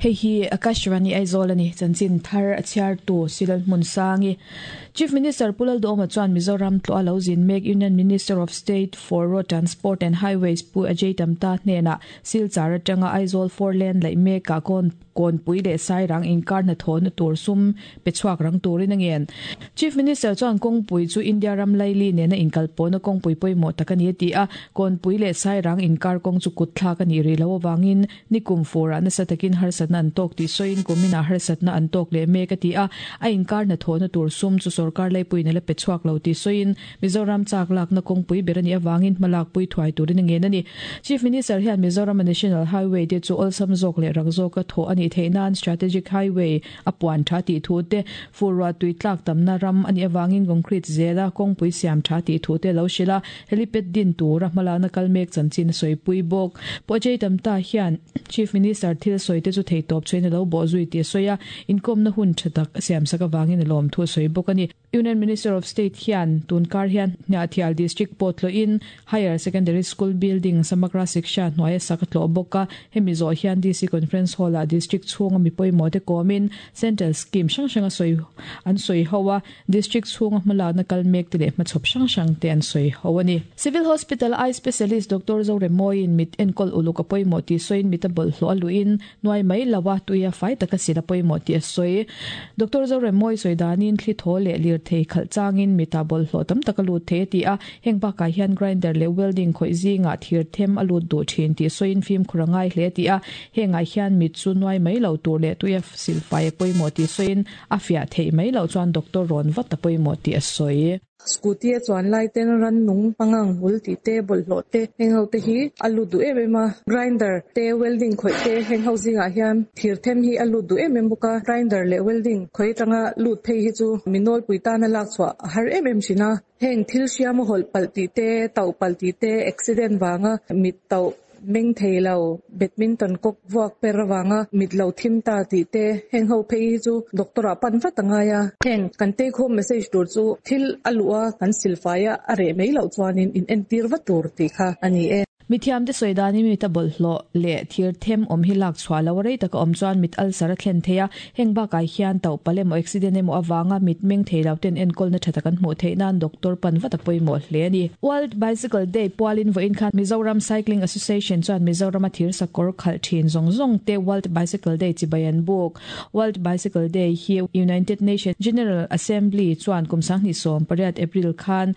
Hei hi Akashvani Aizawl a ni, chanchin thar a chhiartu Silal Hmunsangi. Chief Minister Pu Lalduhoma chuan Mizoram tlawh a lo zin mek Union Minister of State for Road Transport and Highways Pu Ajay Tamta hnenah Silchar atanga Aizawl Four Lane laih mekah kawn Kawnpui leh Sairang inkar hnathawhna tur sum pe chhuak rang turin a ngen. Chief Minister chuan kawngpui chu India ram laili nena inkalpawhna kawngpui pawimawh tak a ni a ti a, Kawnpui leh Sairang inkar kawng chu kut thlak a nih rih loh avangin nikum furah nasa takin harsatna an tawk tih sawiin kuminah harsatna an tawk leh mek a ti a, a inkar hnathawhna tur sum chu sorkar laipuiin a la pe chhuak lo tih sawiin Mizoram chak lakna kawngpui ber a nih avangin hmalakpui thuai turin a ngen a ni. Chief Minister hian Mizorama National Highway te chu awlsam zawk leh rak zawka thawh a nih theih nan Strategic Highway a puan tha tih thu te, fur ruah tui tlak tamna ram a nih avangin concrete zela kawngpui siam tha tih thu te a lo hrilh a, helipad din tura hmalakna kal mek chanchin a sawipui bawk. Pu Ajay Tamta hian Chief Minister thil sawi te chu theitawp chhuahin a lo bawhzui tih a sawi a, inkawmna hun tha tak a siamsak avangin a lawmthu a sawi bawk a ni. Union Minister of State hian tun kar hian Hniahthial District pawh tlawhin Higher Secondary School Building Samagra Shiksha hnuaia sak a tlawh bawk a. Hemi zawh hian DC Conference Hall-ah District chhunga mi pawimawh te kawmin Central Scheme hrang hrang a sawi an sawi ho a, District chhunga hmalakna kal mek te leh hmachhawp hrang hrang te an sawi ho a ni. Civil Hospital Eye Specialist Doctor Zoremoiin mit enkawl uluk a pawimawh tih sawiin mit a bawlhhlawh a luhin Hnuai mai lo a, tuia fai taka sil a pawimawh tih a sawi. Doctor Zoremmawi sawi danin thli thaw leh lirthei khalh changin mitah bawlhhlawh tam tak a lut thei a ti a, heng bakah hian grinder leh welding khawih zingah thir them a lut duh thin tih sawiin fimkhur a ngai hle a ti a, hengah hian mit chu nuai mai lo tur leh tuia sil fai a pawimawh tih sawiin a fiah theih mai loh chuan doctor rawn vat a pawimawh tih a sawi. Scooty a chuan lai ten rannung pangang hmul tih te bawlhhlawh te heng ho te hi a lut duh em em a, grinder te welding khawih te heng ho zingah hian thir them hi a lut duh em em bawk a, grinder leh welding khawih atanga lut phei hi chu mi nawlpui tana lak chhuah a har em em thin a, heng thil hriam a hawlh palh tih te tauh palh tih te accident vanga mit tauh Meng thei lo, badminton kawk vuak per avanga mit lo thim ta tih te, heng ho phei hi chu doctor ah pan vat a ngai a. Heng kan take home message tur chu thil a luh a, kan silfai a, a reh mai loh chuanin in entir vat tur tih kha a ni e. Mithiamte sawi danin mit a bawlhhlawh leh thir them awm hi lak chhuah lo a rei taka awm chuan mit ulcer a thlen thei a, heng bakah hian tauh palh emaw accident emaw avanga mit meng thei lo ten enkawlna tha tak an hmuh theih nan doctor pan vat a pawimawh hle a ni. World Bicycle Day pualin vawiin khan Mizoram Cycling Association chuan Mizorama thir sakawr khalh thin zawng zawng te World Bicycle Day chibai an buk. World Bicycle Day hi United Nations General Assembly chuan kum 2018 April khan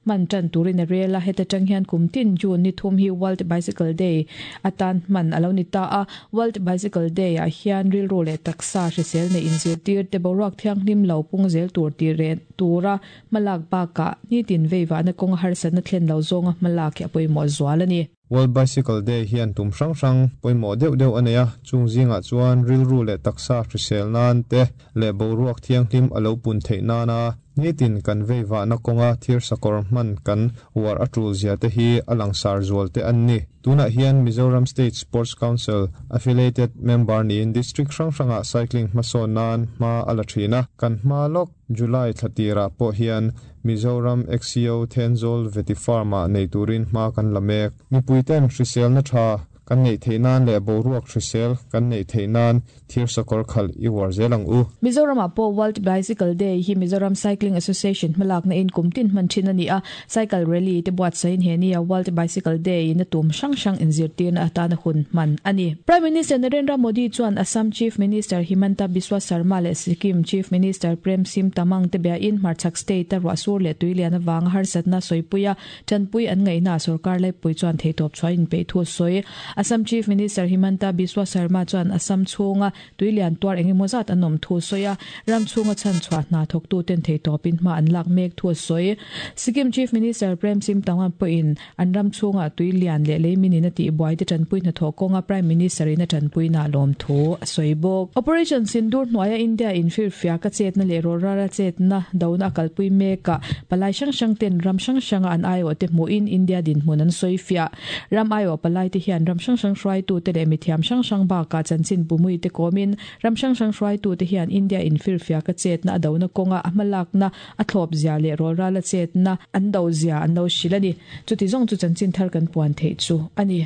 hman tan turin a rel a, heta tang hian kum tin June ni thum hi World Bicycle Day atan hman a lo ni ta a. World Bicycle Day ah hian rilru leh taksa hrisel neih inzirtir te boruak thianghlim lo pung zel tur tih reh tura Hmalak bakah nitin veivahna kawnga harsatna thlen lo zawnga hmalak hi a pawimawh zual a ni. World Bicycle Day hian tum hrang hrang pawimawh deuh deuh a nei a, chung zingah chuan rilru leh taksa hrisel nan te leh boruak thianghlim a lo pun theih nana nitin kan veivahna kawnga thirsakawr hman kan uar a tul zia te hi a langsar zual te an ni. Tunah hian Mizoram State Sports Council affiliated member niin district hrang hrangah cycling hmasawn nan hma a la thin a, kan hma lawk. July thla tirah pawh hian Mizoram XCO Thenzawl Vety Farm-ah nei turin hma kan la mek. Mipuiten hriselna tha kan neih theih nan leh boruak hrisel kan neih theih nan thir sakawr khalh i uar zel ang u. Mizoramah pawh World Bicycle Day hi Mizoram Cycling Association hmalakna in kum tin hman thin a ni a, Cycle Rally te buatsaihin he nia World Bicycle Day in a tum hrang hrang inzirtirna atana hun hman a ni. Prime Minister Narendra Modi chuan Assam Chief Minister Himanta Biswa Sarma leh Sikkim Chief Minister Prem Sim Tamang te biain hmarchhak state a ruahsur leh tuilian avanga harsatna sawipui a tanpui an ngaihna sorkar laipui chuan theihtawp chhuah inpeih thu a sawi. Assam Chief Minister Himanta Biswa Sarma chuan Assam chhunga Tuilian tuar eng emaw zat an awm thu a sawi a, ram chhunga chhan chhuah hna thawktuten theihtawpin hma an lak mek thu a sawi. Sikkim Chief Minister Prem Sim Tangwan pawhin an ram chhunga tuilian leh leiminin a tihbuai te tanpui hnathawh kawnga Prime Minister in a tanpuina lawm thu a sawi bawk. Operation Sindoor hnuaia India in firfiak a chetna leh rawlrara chetna dona a kalpui mekah palai hrang hrang ten ram hrang hranga an aiawhte hmuhin India dinhmun an sawi fiah. Ram aiawh palaite hian ram hrang hrang hruaitute leh mithiam hrang hrang bakah chanchin bumuite kawmin ram hrang hrang hruaitute hian India infirfiaka chetna a dona kawnga a hmalakna a thlawp zia leh rawlrala chetna an do zia an lo hrilh a ni. Chuti zawng chu chanchin thar kan puan theih chu a ni.